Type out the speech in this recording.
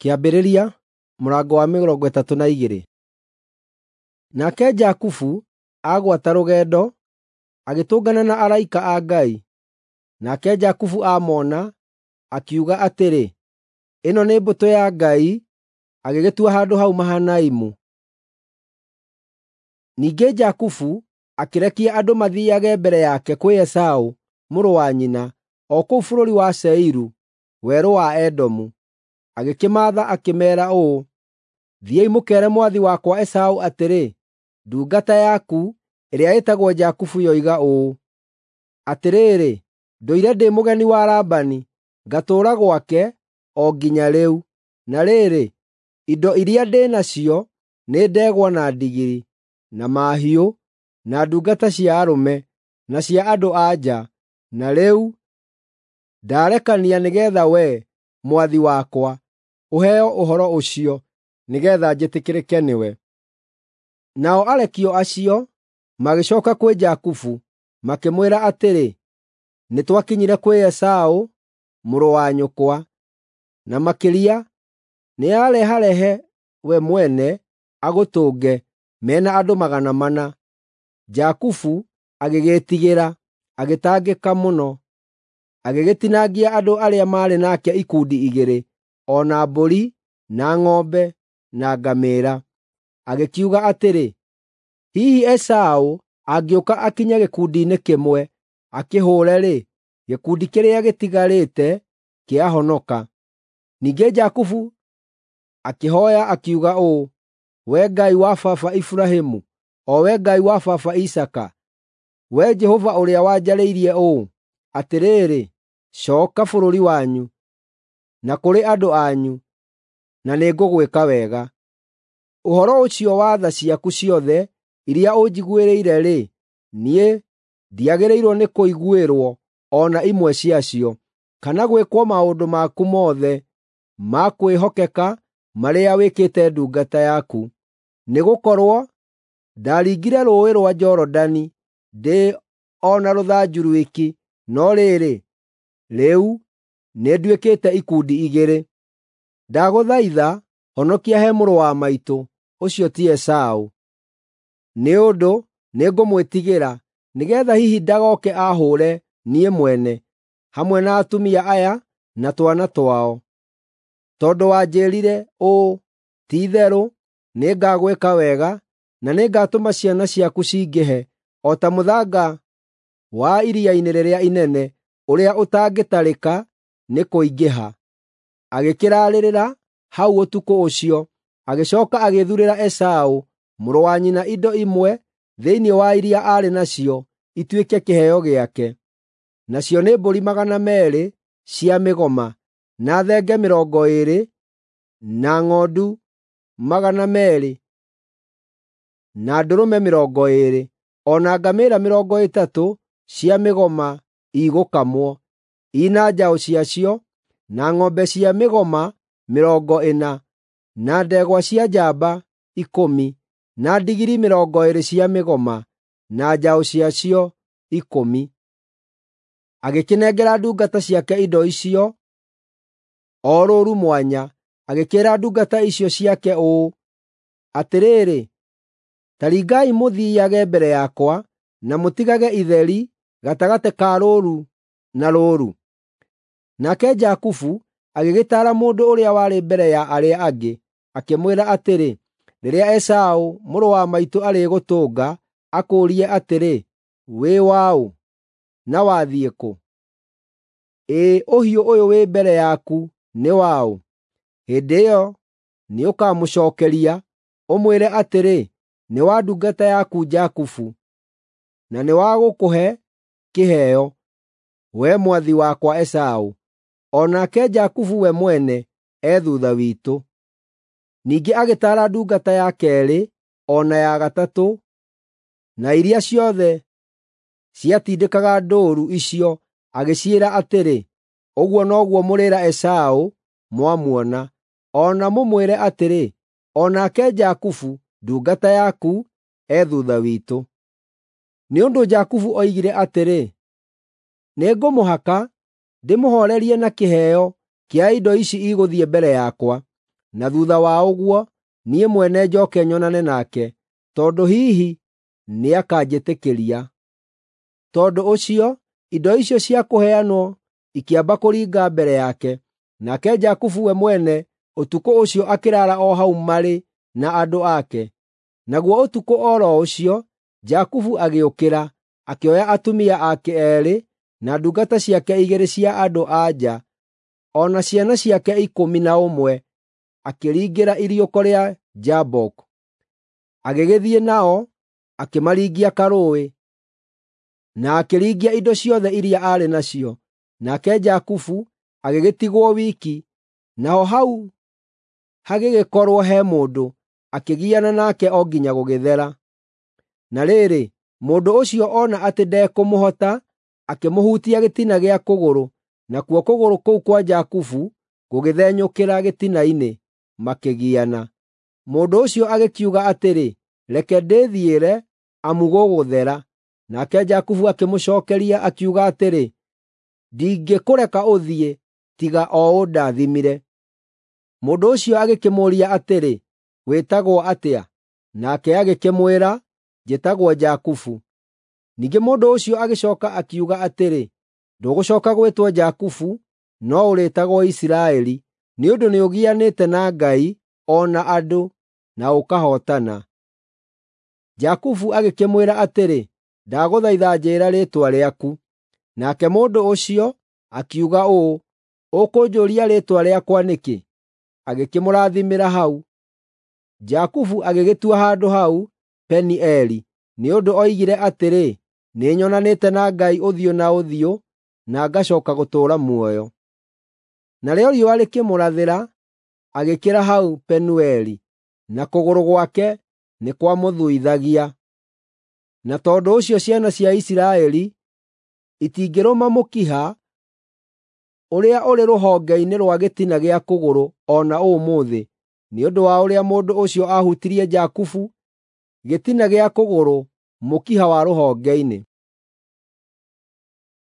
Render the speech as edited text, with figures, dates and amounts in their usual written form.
Kĩambĩrĩria mũrango wa 32. Nake Jakubu agwata rũgendo, agĩtũngana na araika a Ngai. Nake Jakubu aamona, akiuga atĩrĩ, “Ĩno nĩ mbũtũ ya Ngai!” Agĩgĩtua handũ hau Mahanaimu. Ningĩ Jakubu akĩrekia andũ mathiiage mbere yake kwĩ Esaũ mũrũ wa nyina, o kũu bũrũri wa Seiru, werũ wa Edomu. Agĩkĩmaatha akĩmeera ũũ, “Thiĩi mũkeere mwathi wakwa Esaũ atĩrĩ, ‘Ndungata yaku, ĩrĩa ĩtagwo Jakubu yoiga ũũ: Atĩrĩrĩ, ndũire ndĩ mũgeni wa Labani, ngatũũra gwake o nginya rĩu. Na rĩrĩ, indo iria ndĩ nacio nĩ ndegwa na ndigiri, na mahiũ, na ndungata cia arũme, na cia andũ-a-nja. Na rĩu ndarekania nĩgeetha wee, mwathi wakwa, ũheo ũhoro ũcio, nĩgeetha njĩtĩkĩrĩke nĩwe.’ ” Nao arekio acio magĩcooka kwĩ Jakubu, makĩmwĩra atĩrĩ, “Nĩtwakinyire kwĩ Esaũ mũrũ wa nyũkwa, na makĩria nĩareharehe we mwene agũtũnge, me na andũ 400.” Jakubu agĩgĩĩtigĩra, agĩtangĩka mũno. Agĩgĩtinangia andũ arĩa maarĩ nake ikundi igĩrĩ, o na mbũri, na ng'ombe, na ngamĩĩra. Agĩkiuga atĩrĩ, “Hihi Esaũ angĩũka akinye gĩkundi-inĩ kĩmwe, akĩhũũre-rĩ, gĩkundi kĩrĩa gĩtigarĩte kĩahonoka.” Ningĩ Jakubu akĩhooya akiuga ũũ, “Wee Ngai wa baba Iburahĩmu, o Wee Ngai wa baba Isaaka, Wee Jehova ũrĩa wanjarĩirie ũũ, ‘Atĩrĩrĩ, cooka bũrũri wanyu, na kũrĩ andũ anyu, na nĩngũgwĩka wega.’ Ũhoro ũcio wa tha ciaku ciothe iria ũnjiguĩrĩire-rĩ, niĩ ndiagĩrĩirwo nĩ kũiguĩrwo o na imwe ciacio, kana gwĩkwo maũndũ maku mothe ma kwĩhokeka marĩa wĩkĩte ndungata yaku. Nĩgũkorwo ndaringire Rũũĩ rwa Jorodani ndĩ o na rũthanju rwiki, no rĩrĩ, rĩu nĩnduĩkĩte ikundi igĩrĩ. Ndagũthaitha honokia he mũrũ wa maitũ, ũcio ti Esaũ, nĩ ũndũ nĩngũmwĩtigĩra, nĩgeetha hihi ndagooke aahũũre niĩ mwene, hamwe na atumia aya na twana twao. Tondũ wanjĩĩrire ũũ, ‘Ti-itherũ nĩngagwĩka wega, na nĩngatũma ciana ciaku cingĩhe o ta mũthanga wa iria-inĩ rĩrĩa inene, ũrĩa ũtangĩtarĩka nĩ kũingĩha.’ ” Agĩkĩraarĩrĩra hau ũtukũ ũcio, agĩcooka agĩthuurĩra Esaũ mũrũ wa nyina indo imwe thĩinĩ wa iria aarĩ nacio ituĩke kĩheo gĩake. Nacio nĩ mbũri 200 cia mĩgoma, na thenge 20, na ng'ondu 200, na ndũrũme 20, o na ngamĩĩra 30 cia mĩgoma igũkamwo, i na njaũ ciacio, na ng'ombe cia mĩgoma 40, na ndegwa cia njamba 10, na ndigiri 20 cia mĩgoma, na njaũ ciacio 10. Agĩkĩnengera ndungata ciake indo icio o rũũru mwanya, agĩkĩĩra ndungata icio ciake ũũ, “Atĩrĩrĩ, ta ringai mũthiiage mbere yakwa, na mũtigage itheri gatagatĩ ka rũũru na rũũru.” Nake Jakubu agĩgĩtaara mũndũ ũrĩa warĩ mbere ya arĩa angĩ, akĩmwĩra atĩrĩ, “Rĩrĩa Esaũ mũrũ wa maitũ arĩgũtũnga, akũũrie atĩrĩ, ‘Wĩ waũ, na wathiĩ kũ? Ĩ ũhiũ ũyũ wĩ mbere yaku nĩ waũ?’ Hĩndĩ ĩyo nĩũkamũcookeria, ũmwĩre atĩrĩ, ‘Nĩ wa ndungata yaku Jakubu, na nĩ wa gũkũhe kĩheo, wee mwathi wakwa Esaũ. O nake Jakubu we mwene e thuutha witũ.’ ” Ningĩ agĩtaara ndungata ya keerĩ o na ya gatatũ, na iria ciothe ciatindĩkaga ndũũru icio, agĩciĩra atĩrĩ, “Ũguo noguo mũrĩĩra Esaũ mwamuona, o na mũmwĩre atĩrĩ, ‘O nake Jakubu, ndungata yaku, e thuutha witũ.’ ” Nĩ ũndũ Jakubu oigire atĩrĩ, “Nĩngũmũhaka ndĩmũhoorerie na kĩheo kĩa indo ici igũthiĩ mbere yakwa.” Na thuutha wa ũguo, niĩ mwene njooke nyonane nake, tondũ hihi nĩakanjĩtĩkĩria. Tondũ ũcio, indo icio cia kũheanwo ikĩamba kũringa mbere yake, nake Jakubu we mwene ũtukũ ũcio akĩraara o hau marĩ na andũ ake. Naguo ũtukũ o ro ũcio, Jakubu agĩũkĩra, akĩoya atumia ake eerĩ, na ndungata ciake igĩrĩ cia andũ-a-nja, o na ciana ciake 11, akĩringĩra iriũko rĩa Jaboku. Agĩgĩthiĩ nao, akĩmaringia karũũĩ, na akĩringia indo ciothe iria aarĩ nacio. Nake Jakubu agĩgĩtigwo wiki, naho hau hagĩgĩkorwo he mũndũ, akĩgiana nake o nginya gũgĩthera. Na rĩrĩ, mũndũ ũcio ona atĩ ndekũmũhota, akĩmũhutia gĩtina gĩa kũgũrũ, nakuo kũgũrũ kũu kwa Jakubu gũgĩthenyũkĩra gĩtina-inĩ, makĩgiana. Mũndũ ũcio agĩkiuga atĩrĩ, “Reke ndĩthiĩre, amu gũgũthera.” Nake Jakubu akĩmũcookeria akiuga atĩrĩ, “Ndingĩkũreka ũthiĩ tiga o ũndathimire.” Mũndũ ũcio agĩkĩmũũria atĩrĩ, “Wĩtagwo atĩa?” Nake agĩkĩmwĩra, “Njĩtagwo Jakubu.” Ningĩ mũndũ ũcio agĩcooka akiuga atĩrĩ, “Ndũgũcooka gwĩtwo Jakubu, no ũrĩĩtagwo Isiraeli, nĩ ũndũ nĩũgianĩte na Ngai o na andũ, na ũkahootana.” Jakubu agĩkĩmwĩra atĩrĩ, “Ndagũthaitha njĩĩra rĩĩtwa rĩaku.” Nake mũndũ ũcio akiuga ũũ, “Ũkũnjũũria rĩĩtwa rĩakwa nĩkĩ?” Agĩkĩmũrathimĩra hau. Jakubu agĩgĩtua handũ hau Penieli, nĩ ũndũ oigire atĩrĩ, “Nĩnyonanĩte na Ngai ũthiũ na ũthiũ, na ngacooka gũtũũra muoyo.” Narĩo riũa rĩkĩmũrathĩra, agĩkĩra hau Penueli, na kũgũrũ gwake nĩ kwamũthuithagia. Na tondũ ũcio ciana cia Isiraeli itingĩrũma mũkiha ũrĩa ũrĩ rũhonge-inĩ rwa gĩtina gĩa kũgũrũ o na ũmũthĩ, nĩ ũndũ wa ũrĩa mũndũ ũcio aahutirie Jakubu gĩtina gĩa kũgũrũ mũkiha wa rũhonge-inĩ.